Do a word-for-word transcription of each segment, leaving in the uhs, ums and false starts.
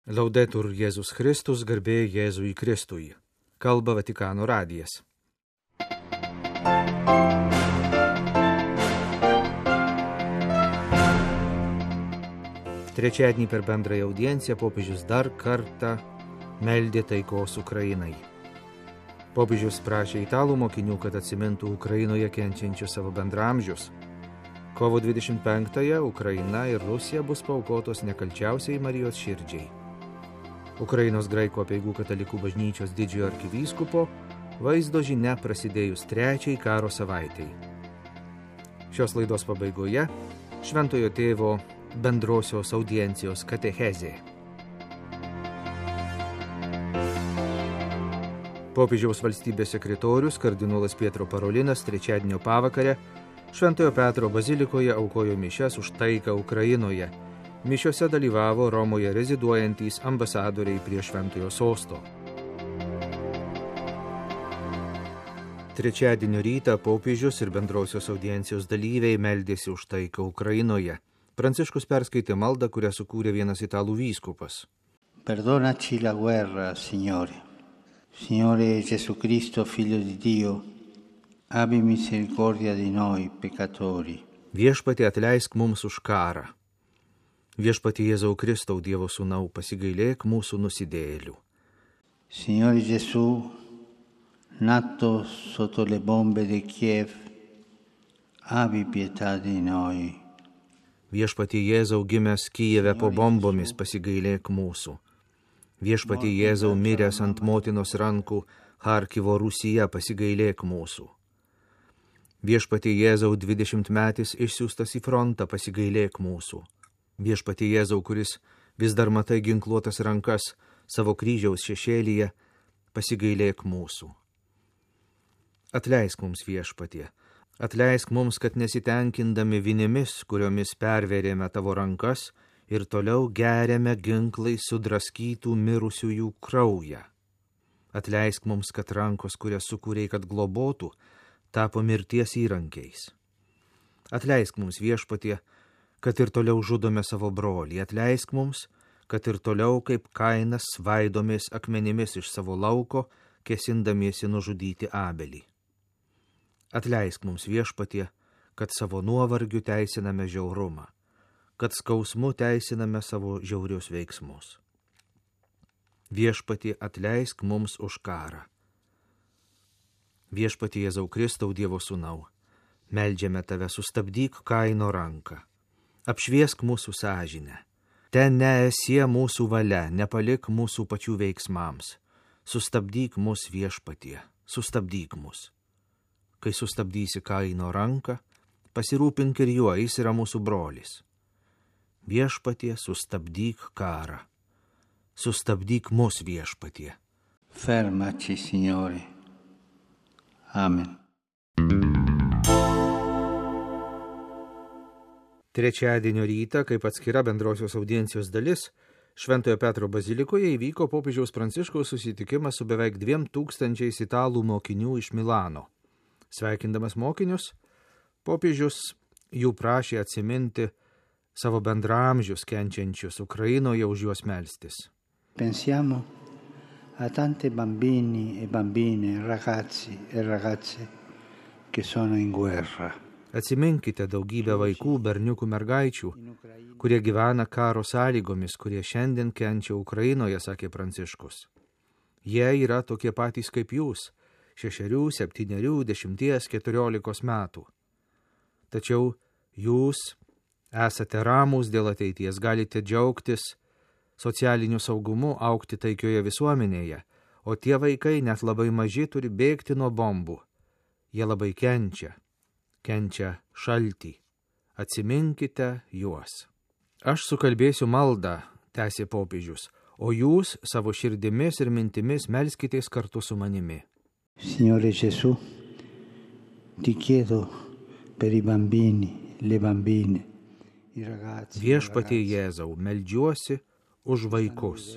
Laudetur Jėzus Kristus, garbė Jėzui Kristui. Kalba Vatikano radijas. Trečiadienį per bendrąją audienciją popiežius dar kartą meldė taikos Ukrainai. Popiežius prašė italų mokinių, kad atsimintų Ukrainoje kenčiančius savo bendramžius. Kovo dvidešimt penktąją Ukraina ir Rusija bus paaukotos nekalčiausiai Marijos širdžiai. Ukrainos graikų apeigų katalikų bažnyčios didžiojo arkivyskupo vaizdo žinia prasidėjus trečiai karo savaitai. Šios laidos pabaigoje Šventojo tėvo bendrosios audiencijos katechezė. Popiežiaus valstybės sekretorius kardinolas Pietro Parolinas trečiadienio pavakarę Šventojo Petro bazilikoje aukojo mišias už taiką Ukrainoje. Mišiose dalyvavo Romoje reziduojantys ambasadoriai prie Šventojo sosto. Trečiadienio rytą popiežius ir bendrosios audiencijos dalyviai meldėsi už taiką Ukrainoje. Pranciškus perskaitė maldą, kurią sukūrė vienas italų vyskupas. Perdonaci la guerra, Signore. Signore Gesù Cristo, Figlio di Dio, abbi misericordia di noi, peccatori. Viešpatie, atleisk mums už karą. Viešpatie Jėzau Kristau, Dievo sūnau, pasigailėk mūsų nusidėjėlių. Signore Gesù, nato sotto le bombe di Kiev, abbi pietà di noi. Viešpatie Jėzau, gimęs Kijeve po bombomis, pasigailėk mūsų. Viešpatie Jėzau, miręs ant motinos rankų Charkivo Rūsyje, pasigailėk mūsų. Viešpatie Jėzau, dvidešimtmetis išsiųstas į frontą, pasigailėk mūsų. Viešpatie Jėzau, kuris vis dar matai ginkluotas rankas savo kryžiaus šešėlyje, pasigailėk mūsų. Atleisk mums, Viešpatie, atleisk mums, kad nesitenkindami vinimis, kuriomis pervėrėme tavo rankas ir toliau geriame ginklai sudraskytų mirusiųjų kraują. Atleisk mums, kad rankos, kurias sukūrei, kad globotų, tapo mirties įrankiais. Atleisk mums, Viešpatie, kad ir toliau žudome savo brolį. Atleisk mums, kad ir toliau kaip Kainas svaidomės akmenimis iš savo lauko, kesindamiesi nužudyti Abelį. Atleisk mums, Viešpatie, kad savo nuovargiu teisiname žiaurumą, kad skausmu teisiname savo žiaurius veiksmus. Viešpatie, atleisk mums už karą. Viešpatie Jėzau Kristau, Dievo sūnau, meldžiame tave, sustabdyk Kaino ranką. Apšviesk mūsų sąžinę. Ten neesie mūsų valia, nepalik mūsų pačių veiksmams. Sustabdyk mus, Viešpatie, sustabdyk mus. Kai sustabdysi Kaino ranką, pasirūpink ir juo, jis yra mūsų brolis. Viešpatie, sustabdyk karą. Sustabdyk mus, Viešpatie. Fermaci, Signore. Amen. Trečiadienio rytą, kaip atskira bendrosios audiencijos dalis, Šventojo Petro bazilikoje įvyko popiežiaus Pranciškaus susitikimas su beveik dviem tūkstančiais italų mokinių iš Milano. Sveikindamas mokinius, popiežius jų prašė atsiminti savo bendramžius kenčiančius Ukrainoje, už juos melstis. Pensiamo a tanti bambini e bambine, ragazzi e ragazze che sono in guerra. Atsiminkite daugybę vaikų, berniukų, mergaičių, kurie gyvena karo sąlygomis, kurie šiandien kenčia Ukrainoje, sakė Pranciškus. Jie yra tokie patys kaip jūs, šešerių, septynerių, dešimties, keturiolikos metų. Tačiau jūs esate ramūs dėl ateities, galite džiaugtis socialiniu saugumu, augti taikioje visuomenėje, o tie vaikai net labai maži turi bėgti nuo bombų. Jie labai kenčia. kenčia šaltį. Atsiminkite juos. Aš sukalbėsiu maldą, tęsė popiežius, o jūs savo širdimis ir mintimis melskitės kartu su manimi. Signore Gesù, ti chiedo per i bambini, le bambine, i ragazzi. Viešpatie Jėzau, meldžiuosi už vaikus.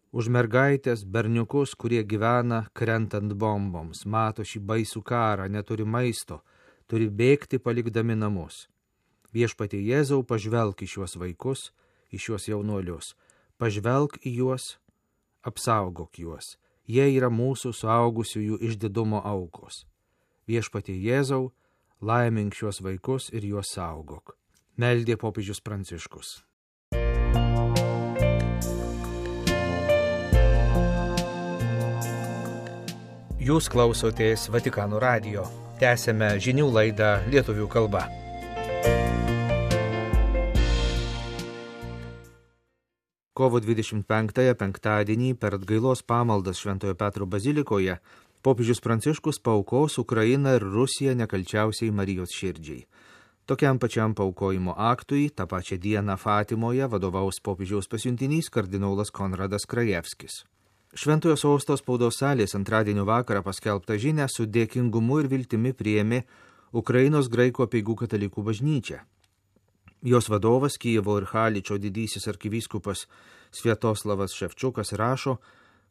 Už mergaitės, berniukus, kurie gyvena krentant bomboms, mato šį baisų karą, neturi maisto, turi bėgti palikdami namus. Viešpatie Jėzau, pažvelk į šiuos vaikus, į šiuos jaunuolius, Pažvelk į juos, apsaugok juos. Jie yra mūsų suaugusiųjų išdidumo aukos. Viešpatie Jėzau, laimink šiuos vaikus ir juos saugok. Meldė popiežius Pranciškus. Jūs klausotės Vatikano radijo. Tęsėme žinių laidą lietuvių kalba. Kovo dvidešimt penktąją penktadienį per atgailos pamaldas Šventojo Petro bazilikoje popiežius Pranciškus paaukos Ukrainą ir Rusiją nekalčiausiai Marijos širdžiai. Tokiam pačiam paaukojimo aktui tą pačią dieną Fatimoje vadovaus popiežiaus pasiuntinys kardinolas Konradas Krajevskis. Šventojo sosto spaudos salės antradienio vakarą paskelbtą žinią su dėkingumu ir viltimi priėmė Ukrainos graikų apeigų katalikų bažnyčia. Jos vadovas Kijevo ir Haličo didysis arkivyskupas Sviatoslavas Ševčiukas rašo,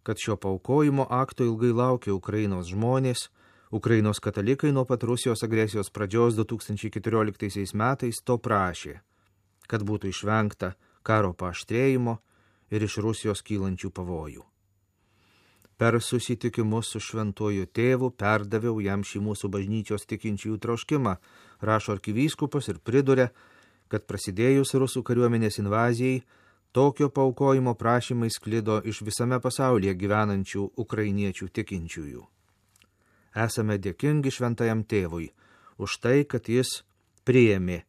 kad šio paaukojimo akto ilgai laukė Ukrainos žmonės, Ukrainos katalikai nuo pat Rusijos agresijos pradžios du tūkstančiai keturioliktaisiais metais to prašė, kad būtų išvengta karo paaštrėjimo ir iš Rusijos kylančių pavojų. Per susitikimus su šventuoju tėvu perdaviau jam šį mūsų bažnyčios tikinčiųjų troškimą, rašo arkivyskupas ir priduria, kad prasidėjus rusų kariuomenės invazijai, tokio paaukojimo prašymai sklido iš visame pasaulyje gyvenančių ukrainiečių tikinčiųjų. Esame dėkingi šventajam tėvui už tai, kad jis priėmė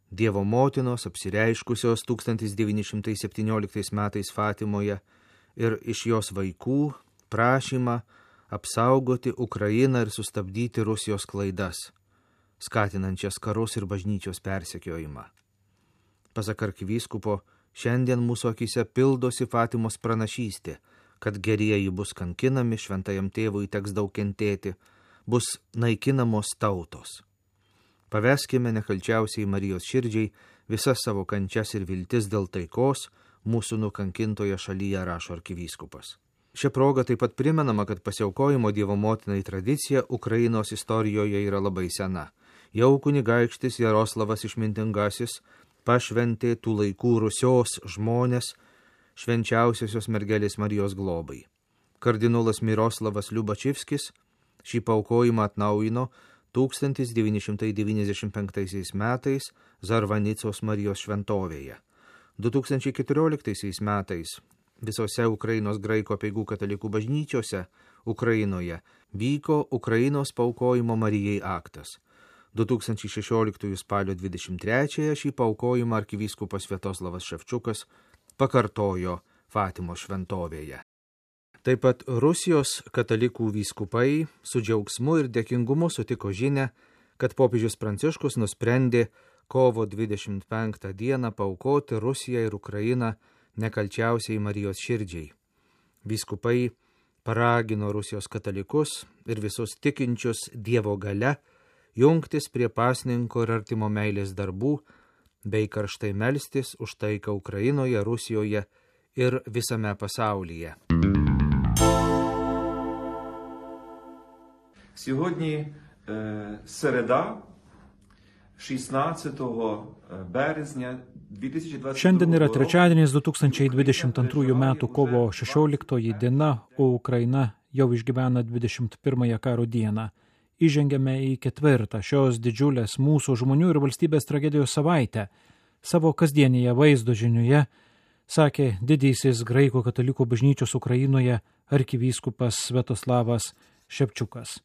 Dievo motinos apsireiškusios tūkstantis devyni šimtai septynioliktais metais Fatimoje ir iš jos vaikų prašymą apsaugoti Ukrainą ir sustabdyti Rusijos klaidas, skatinančias karus ir bažnyčios persekiojimą. Pasak arkivyskupo, šiandien mūsų akyse pildosi Fatimos pranašystė, kad gerieji bus kankinami, šventajam tėvui teks daug kentėti, bus naikinamos tautos. Paveskime nekalčiausiai Marijos širdžiai visas savo kančias ir viltis dėl taikos mūsų nukankintoje šalyje, rašo arkivyskupas. Šia proga taip pat primenama, kad pasiaukojimo Dievo motinai tradicija Ukrainos istorijoje yra labai sena. Jau kunigaikštis Jaroslavas Išmintingasis pašventė tų laikų Rusios žmonės švenčiausiosios mergelės Marijos globai. Kardinolas Miroslavas Liubačivskis šį paaukojimą atnaujino tūkstantis devyni šimtai devyniasdešimt penktaisiais metais Zarvanicos Marijos šventovėje. du tūkstančiai keturioliktaisiais metais visose Ukrainos graikų apeigų katalikų bažnyčiose Ukrainoje vyko Ukrainos paaukojimo Marijai aktas. du tūkstančiai šešioliktųjų spalio dvidešimt trečiąją šį paaukojimą arkivyskupas Sviatoslavas Ševčiukas pakartojo Fatimos šventovėje. Taip pat Rusijos katalikų vyskupai su džiaugsmu ir dėkingumu sutiko žinią, kad popiežius Pranciškus nusprendė kovo dvidešimt penktą dieną paaukoti Rusiją ir Ukrainą nekalčiausiai Marijos širdžiai. Vyskupai paragino Rusijos katalikus ir visus tikinčius Dievo galia jungtis prie pasninko ir artimo meilės darbų, bei karštai melstis už taiką Ukrainoje, Rusijoje ir visame pasaulyje. Сьогодні е, середа, šešioliktого березня дві тисячі двадцять другого Šiandien yra trečiadienis du tūkstančiai dvidešimt antrųjų metų kovo šešioliktoji diena, o Ukraina jau išgyvena dvidešimt pirmąją karo dieną. Įžengėme į ketvirtą šios didžiulės mūsų žmonių ir valstybės tragedijos savaitę. Savo kasdienėje vaizdo žinioje sakė didysis graikų katalikų bažnyčios Ukrainoje arkivyskupas Sviatoslavas Ševčiukas.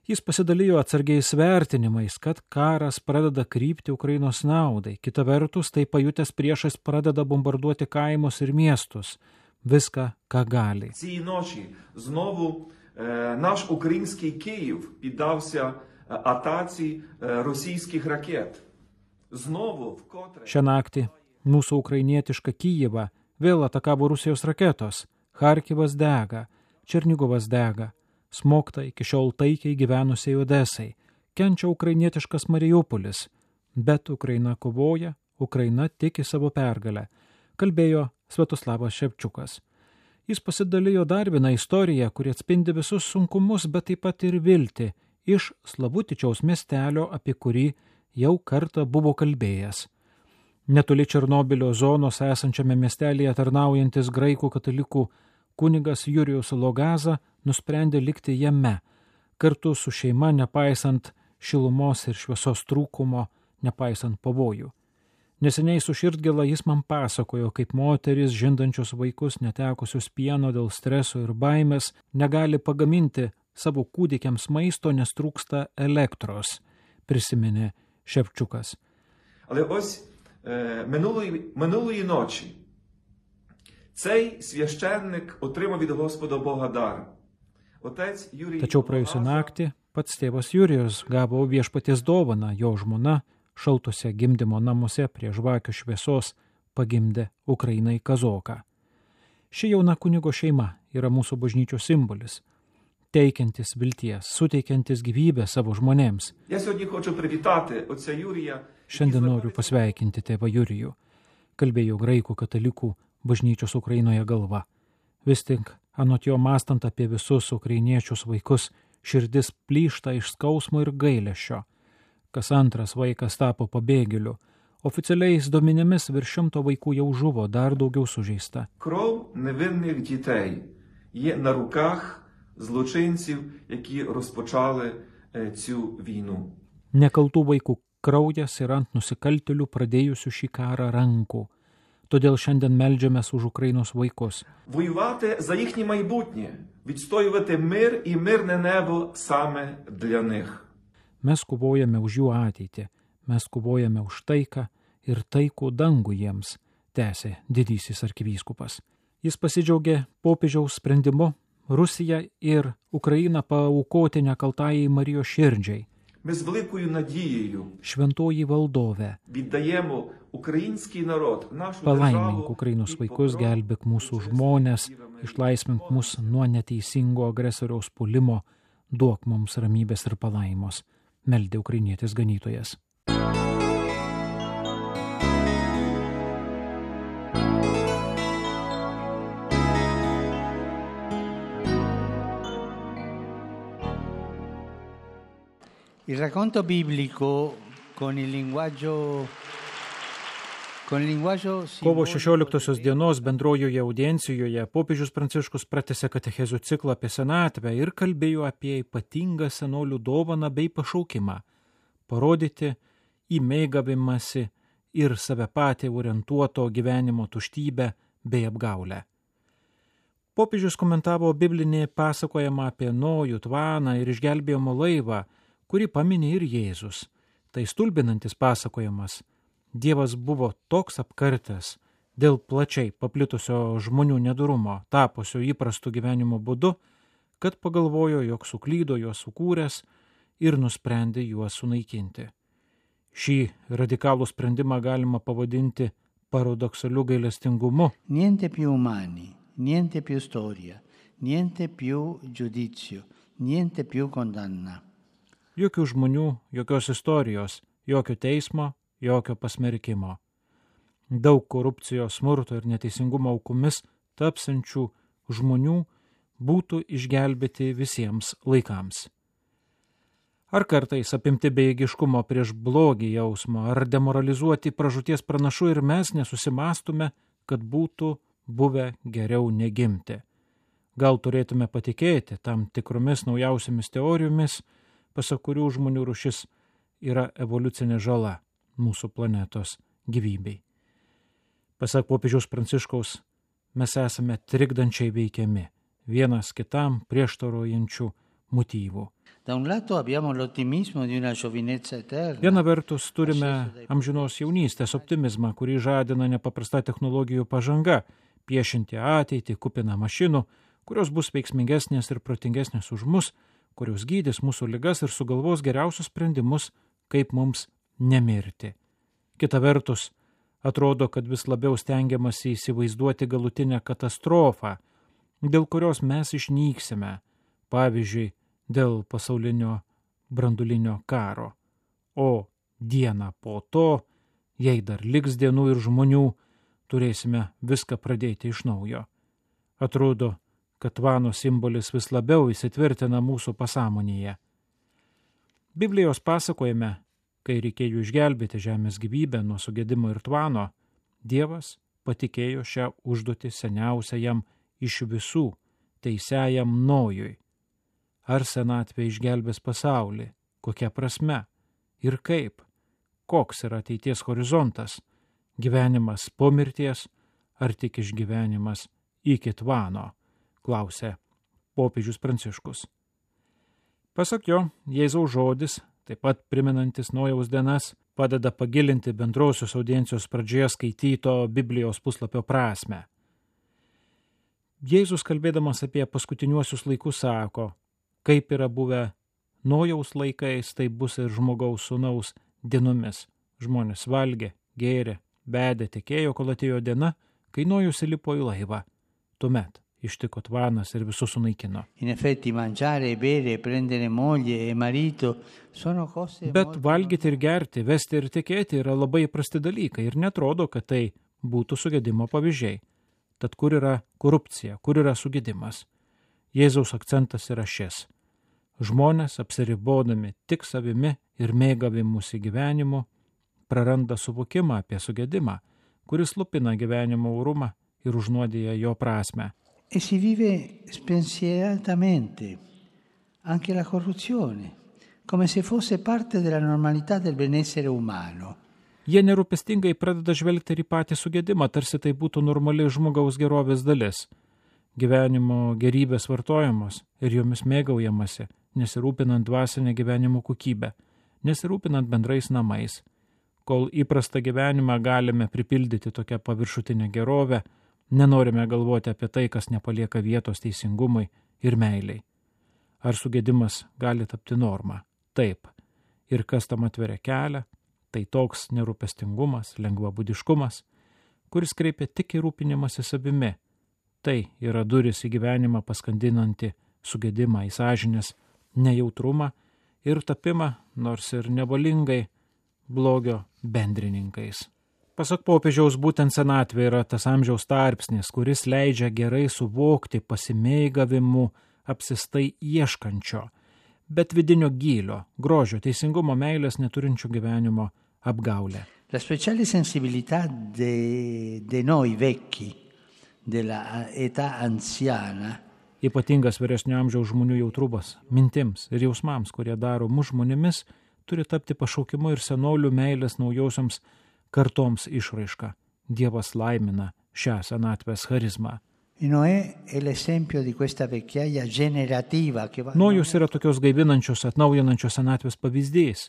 Jis pasidalijo atsargiais vertinimais, kad karas pradeda krypti Ukrainos naudai. Kita vertus, tai pajutęs priešas pradeda bombarduoti kaimus ir miestus. Viską, ką gali. Цієї ночі знову е, наш український Київ піддався атаці е, російських ракет. Знову вкотре... Šią naktį mūsų ukrainietišką Kijevą vėl atakavo Rusijos raketos. Charkivas dega, Černigovas dega. Smogta iki šiol taikiai gyvenusiai Odesai, kenčia ukrainietiškas Mariupolis, bet Ukraina kovoja, Ukraina tiki savo pergalę, kalbėjo Sviatoslavas Ševčiukas. Jis pasidalijo dar vieną istoriją, kuri atspindi visus sunkumus, bet taip pat ir viltį, iš Slavutičiaus miestelio, apie kurį jau kartą buvo kalbėjęs. Netoli Černobilio zonos esančiame miestelėje tarnaujantis graikų katalikų kunigas Jurijus Logaza nusprendė likti jame, kartu su šeima, nepaisant šilumos ir šviesos trūkumo, nepaisant pavojų. Neseniai su širdgėla jis man pasakojo, kaip moteris, žindančios vaikus, netekusius pieno dėl streso ir baimės, negali pagaminti savo kūdikiams maisto, nes trūksta elektros, prisiminė Ševčiukas. Але ось е, минулої, минулої ночі цей священник отримав від Господа Бога дар. Отець Юрій Tačiau praėjusią naktį pats tėvas Jurijus gavo viešpaties dovaną, jo žmona šaltuose gimdymo namuose prie žvakių šviesos pagimdė Ukrainai kazoką. Ši jauna kunigo šeima yra mūsų bažnyčios simbolis, teikiantis vilties, suteikiantis gyvybę savo žmonėms. Я сьогодні хочу привітати отця Юрія. Šiandien noriu pasveikinti tėvą Jurijų, kalbėjo graikų katalikų bažnyčios Ukrainoje galva. Vis tik, anot jo mąstant apie visus ukrainiečius vaikus, širdis plyšta iš skausmo ir gailesčio. Kas antras vaikas tapo pabėgėliu. Oficialiais duomenimis virš šimto vaikų jau žuvo, dar daugiau sužeista. Кров невинних дітей є на руках злочинців, які розпочали е, цю війну. Nekaltų vaikų kraujas yra ant nusikaltėlių pradėjusių šį karą rankų. Todėl šiandien meldžiamės už Ukrainos vaikus. Воювати за їхнє майбутнє, відстоювати мир і мирне небо саме для них. Mes kovojame už jų ateitį, mes kovojame už taiką ir taikų dangų jiems, tęsė didysis arkivyskupas. Jis pasidžiaugė popiežiaus sprendimu Rusiją ir Ukrainą paaukoti nekaltajai Marijos širdžiai. Ми з великою надією Šventoji valdove, віддаємо український народ, нашу palaimink державу Ukrainos від vaikus, погроз gelbėk mūsų žmonės, išlaisvink mus nuo neteisingo agresoriaus puolimo, duok mums ramybės ir palaimos, meldė ukrainietis ganytojas. Il racconto biblico con il linguaggio con il linguaggio Kovo šešioliktosios dienos bendrojoje audiencijoje popiežius Pranciškus pratęsė katechezių ciklą apie senatvę ir kalbėjo apie ypatingą senolių dovaną bei pašaukimą – parodyti į mėgavimąsi ir save patį orientuoto gyvenimo tuštybę bei apgaulę. Popiežius komentavo biblinį pasakojimą apie Nojų tvaną ir išgelbėjimo laivą, kurį paminė ir Jėzus. Tai stulbinantis pasakojimas. Dievas buvo toks apkartęs dėl plačiai paplitusio žmonių nedurumo, tapusio įprastu gyvenimo būdu, kad pagalvojo, jog suklydo juos sukūręs ir nusprendė juos sunaikinti. Šį radikalų sprendimą galima pavadinti paradoksaliu gailestingumu. Niente più umani, niente più storia, niente più giudizio, niente più condanna. Jokių žmonių, jokios istorijos, jokio teismo, jokio pasmerkimo. Daug korupcijos, smurto ir neteisingumo aukomis tapsančių žmonių būtų išgelbėti visiems laikams. Ar kartais apimti bejėgiškumo prieš blogį jausmo, ar demoralizuoti pražūties pranašų ir mes nesusimastume, kad būtų buvę geriau negimti. Gal turėtume patikėti tam tikromis naujausiamis teorijomis, pasak kurių žmonių rūšis yra evoliucinė žala mūsų planetos gyvybei. Pasak popiežiaus Pranciškaus, mes esame trikdančiai veikiami, vienas kitam prieštaraujančių motyvų. Viena vertus turime amžinos jaunystės optimizmą, kurį žadina nepaprasta technologijų pažanga, piešinti ateitį kupiną mašinų, kurios bus veiksmingesnės ir protingesnės už mus, kurios gydys mūsų ligas ir sugalvos geriausius sprendimus, kaip mums nemirti. Kita vertus, atrodo, kad vis labiau stengiamasi įsivaizduoti galutinę katastrofą, dėl kurios mes išnyksime, pavyzdžiui, dėl pasaulinio branduolinio karo. O dieną po to, jei dar liks dienų ir žmonių, turėsime viską pradėti iš naujo. Atrodo, kad tvano simbolis vis labiau įsitvirtina mūsų pasąmonėje. Biblijos pasakojime, Kai reikėjo išgelbėti žemės gyvybę nuo sugedimo ir tvano, Dievas patikėjo šią užduotį seniausiajam iš visų, teisiajam Nojui. Ar senatvė išgelbės pasaulį? Kokia prasme? Ir kaip? Koks yra ateities horizontas? Gyvenimas po mirties ar tik išgyvenimas iki tvano? Klausė popiežius Pranciškus. Pasak jo, Jėzaus žodis, taip pat priminantis Nojaus dienas, padeda pagilinti bendrosios audiencijos pradžioje skaityto Biblijos puslapio prasmę. Jėzus, kalbėdamas apie paskutiniuosius laikus, sako, kaip yra buvę Nojaus laikais, tai bus ir žmogaus sūnaus dienomis. Žmonės valgė, gėrė, bedė, tekėjo, kol atėjo diena, kai Nojus įlipo į laivą. Tuomet ištiko tvanas ir visus sunaikino. Bet valgyti ir gerti, vesti ir tikėti yra labai įprasti dalykai ir netrodo, kad tai būtų sugedimo pavyzdžiai. Tad kur yra korupcija, kur yra sugedimas? Jėzaus akcentas yra šis. Žmonės, apsiribodami tik savimi ir mėgavimusi gyvenimu, praranda suvokimą apie sugedimą, kuris lupina gyvenimo orumą ir užnuodija jo prasmę. E si vive spensieratamente anche la corruzione, come se fosse parte della normalità del benessere umano. Jie nerūpestingai pradeda žvelgti ir į patį sugedimą, tarsi tai būtų normali žmogaus gerovės dalis. Gyvenimo gerybės vartojamos ir jomis mėgaujamasi, nesirūpinant dvasinę gyvenimo kokybę, nesirūpinant bendrais namais. Kol įprastą gyvenimą galime pripildyti tokią paviršutinę gerovę, nenorime galvoti apie tai, kas nepalieka vietos teisingumui ir meiliai. Ar sugedimas gali tapti norma? Taip. Ir kas tam atveria kelią? Tai toks nerūpestingumas, lengvabudiškumas, kuris kreipia tik į rūpinimąsi savimi. Tai yra duris į gyvenimą paskandinanti sugedimą, į sąžinės nejautrumą ir tapimą, nors ir nevalingai, blogio bendrininkais. Pasak popiežiaus, būtent senatvė yra tas amžiaus tarpsnis, kuris leidžia gerai suvokti pasimėgavimu apsistai ieškančio, bet vidinio gylio, grožio, teisingumo, meilės neturinčio gyvenimo apgaulę. La speciale sensibilità de, de noi vecchi, della età anziana, Ypatingas vyresnio amžiaus žmonių jautrumas mintims ir jausmams, kurie daro mus žmonėmis, turi tapti pašaukimu ir senolių meilės naujosioms kartoms išraiška. Dievas laimina šią senatvės charizmą. Nojus yra tokios gaivinančios, atnaujinančios senatvės pavyzdys.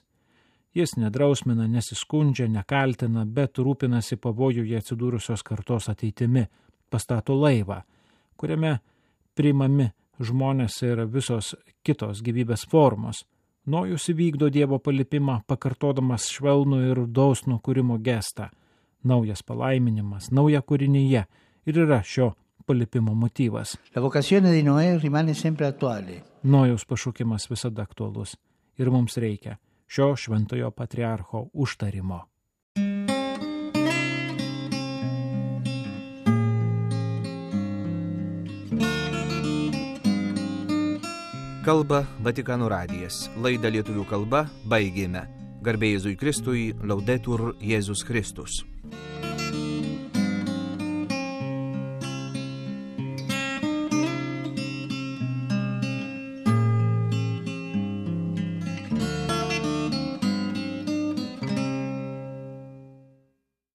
Jis nedrausmina, nesiskundžia, nekaltina, bet rūpinasi pavojuje atsidūrusios kartos ateitimi, pastato laivą, kuriame priimami žmonės ir visos kitos gyvybės formos. Nojus įvykdo Dievo palipimą, pakartodamas švelnų ir dosnų kūrimo gestą. Naujas palaiminimas, nauja kūrinyje ir yra šio palipimo motyvas. Nojaus pašaukimas visada aktualus ir mums reikia šio šventojo patriarcho užtarimo. Kalba Vatikano radijas. Laidą lietuvių kalba baigėme. Garbė Jėzui Kristui, Laudetur Jėzus Kristus.